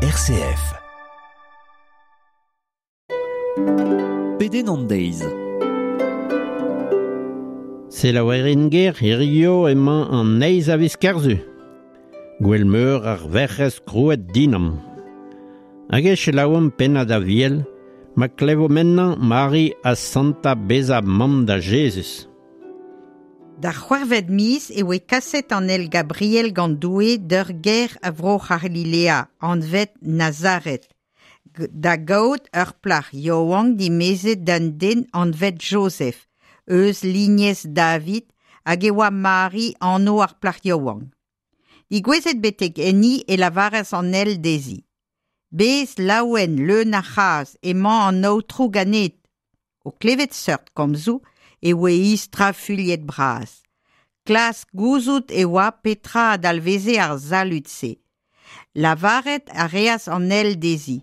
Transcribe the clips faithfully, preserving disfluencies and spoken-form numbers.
R C F. Pedenn an deiz. Selaouerien ger hirio emañ an eizh a viz Kerzu. Gouel-meur ar Werc'hez krouet dinam. Hag e selaouomp pennad Aviel, ma klevo mennañ Mari a santa bezañ mamm da Jezuz. D'ar c'hwec'hvet miz e oe kaset an ael Gabriel gant Doue d'ur gêr a vro C'halilea, anvet Nazaret, da gaout ur plac'h yaouank dimezet d'un den anvet Joseph, eus lignez David, hag e oa Mari anv ar plac'h yaouank. Digouezet betek enni e lavaras an ael dezhi. Bez laouen leun a c'hras, emañ an Aotrou ganit. O klevet seurt komzoù e oe strafuilhet bras. Klask gouzout e oa petra a dalveze ar salud-se. Lavaret a reas an ael dezhi.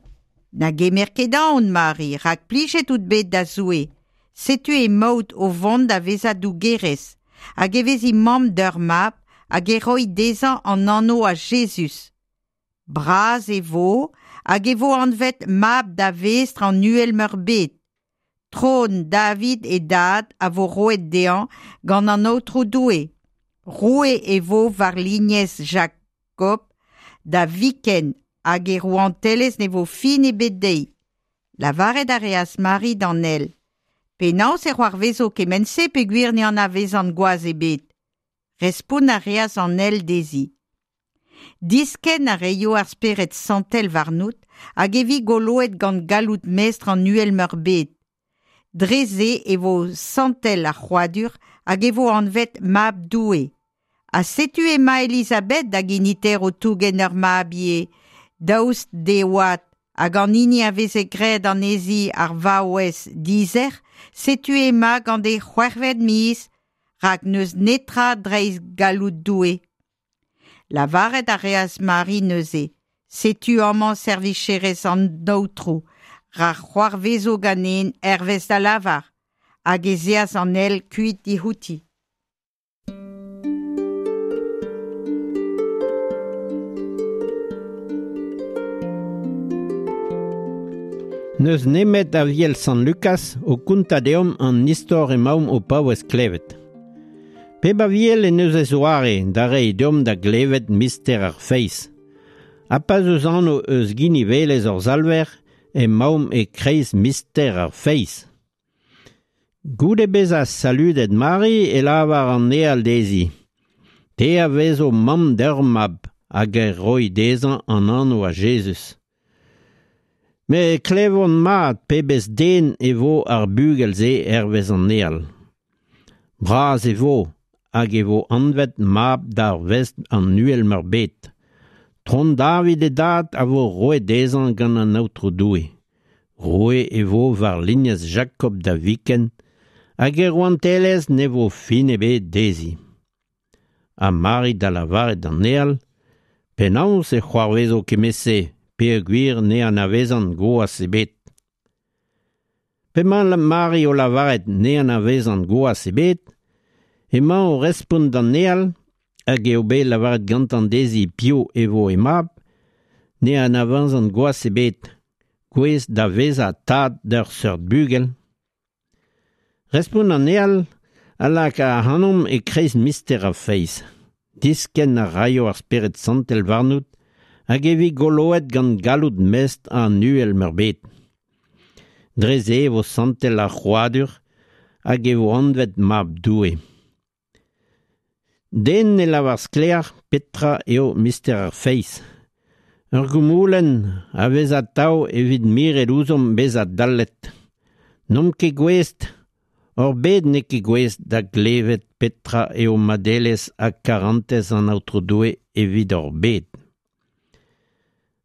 Na gemer ket aon, Mari, rak plijet out bet da Zoue. Setu emaout o vont da vezañ dougerez, hag e vezi mamm d'ur mab, hag e roi dezhañ an anv a Jezuz. Bras e vo, hag e vo anvet mab da vestr an Uhel-meurbet. Tron David e dad a vo roet dezhañ gant an Aotrou Doue. Roue e vo war lignez Jakob da viken hag e rouantelezh ne vo fin ebet dezhi. Lavaret a reas Mari d'an ael. Penaos e c'hoarvezo kement-se peogwir ne anavezan gwaz ebet. Respont a reas an ael dezhi. Diskenn a raio ar Spered Santel warnout hag e vi goloet gant galloud mestr an Uhel-meurbet. Dre se e vo santel ar c'hrouadur hag e vo anvet mab Doue. Ha setu emañ Elizabeth da geniterv o tougen ur mab ivez, daoust d'he oad, hag an hini a veze graet anezhi ar vaouez dizerc'h, setu emañ gant he c'hwec'hvet miz, rak n'eus netra dreist galloud Doue. Lavaret a reas Mari neuze, setu amañ servicherez an Aotrou, ra c'hoarvezo ganen hervez da lavar, hag ez eas an ael kuit diouti. N'eus nemet Aviel Sant Lukas o kontañ deomp an istor emaomp o paouez klevet. Pep aviel en deus e zoare da reiñ deomp da glevet mister ar feiz. Ha pa 'z eus anv eus ginivelezh hor Salver, emaomp e-kreiz mister ar feiz. Goude bezañ saludet Mari e lavar an ael dezhi. Te a vezo mamm d'ur mab hag e roi dezhañ an anv a Jezuz. Met klevomp mat pebezh den e vo ar bugel-se hervez an ael. Bras e vo hag e vo anvet mab d'ar vestr an Uhel-meurbet. Tron David e dad a vo roet dezhañ gant an Aotrou Doue. Roue e vo war lignez Jakob da viken, hag e rouantelezh ne vo fin ebet dezhi. Ha Mari da lavaret d'an ael, penaos e c'hoarvezo kement-se, peogwir ne anavezan gwaz ebet. P'emañ Mari o lavaret ne anavezan gwaz ebet, emañ o respont d'an ael, hag eo bet lavaret gantañ dezhi piv e vo he mab, ne anavezan gwaz ebet, gouest da vezañ tad d'ur seurt bugel. Respont an ael a laka ac'hanomp e-kreiz mister ar feiz. Diskenn a raio ar Spered Santel warnout, hag e vi goloet gant galloud mestr an Uhel-meurbet. Dre se e vo santel ar c'hrouadur hag e vo anvet mab Doue. Den ne lavar sklaer petra eo mister ar feiz. Ur goumoulenn a vez atav evit miret ouzhomp bezañ dallet. N'omp ket gouest, hor bed n'eo ket gouest da glevet petra eo madelezh ha karantez an Aotrou Doue evit hor bed.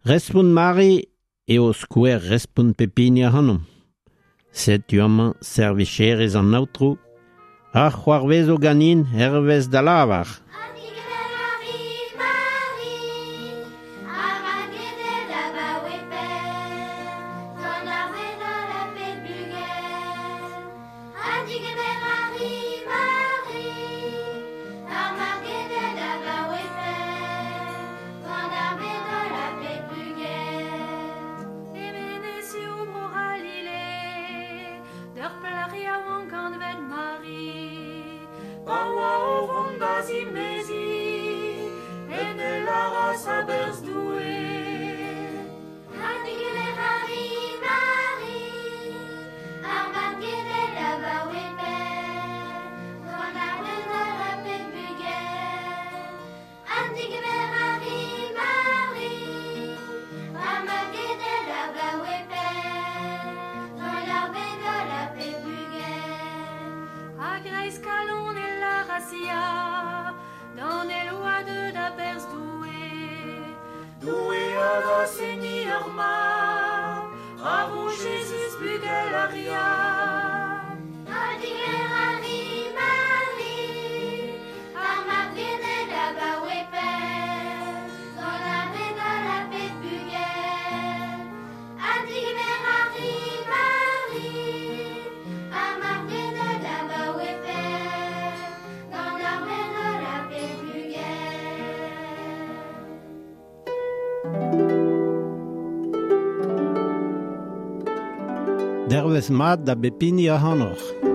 Respont Mari eo skouer respont pep hini ac'hanomp. Setu amañ servicherez an Aotrou, ra c'hoarvezo ganin hervez da lavar. Gant ar bed holl a bep bugel. gras a-berzh Doue. Ha digemer a ri, Mari, ar mab genel abaoe pell, gant ar benn-holl ha pep bugel. Ha digemer a ri, Mari, ar mab genel abaoe pell, gant ar benn-holl ha pep bugel. A-greiz kalon e lâras ya, d'an êl oa deuet a-berzh Doue. Doue a gas enni ur mab, ra vo Jezuz bugel ar ya. Ha digemer a ri, Mari, ar mab genel abaoe pell, gant ar benn-holl ha pep bugel. Ha digemer a ri, Mari, ar mab genel abaoe pell, gant ar benn-holl ha pep bugel. Dervezh mat da bep hini ac'hanoc'h.